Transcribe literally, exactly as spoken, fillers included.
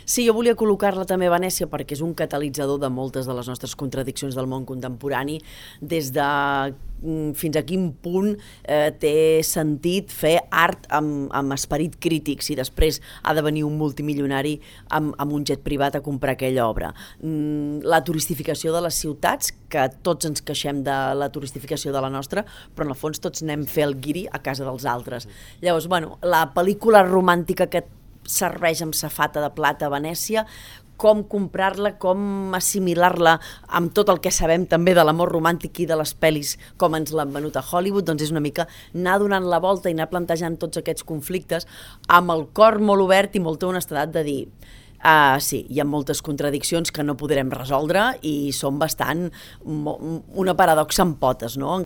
Sí, jo volia col·locar-la també a Venècia perquè és un catalitzador de moltes de les nostres contradiccions del món contemporani, des de fins a quin punt eh, té sentit fer art amb, amb esperit crític si després ha de venir un multimilionari amb, amb un jet privat a comprar aquella obra. Mm, la turistificació de les ciutats, que tots ens queixem de la turistificació de la nostra, però en el fons tots anem a fer el guiri a casa dels altres. Llavors, bueno, la pel·lícula romàntica que serveix amb safata de plata a Venècia, com comprar-la, com assimilar-la amb tot el que sabem també de l'amor romàntic i de les pel·lis com ens l'han venut a Hollywood, doncs és una mica anar donant la volta i anar plantejant tots aquests conflictes amb el cor molt obert i molta honestedat de dir uh, sí, hi ha moltes contradiccions que no podrem resoldre i són bastant una paradoxa amb potes, no?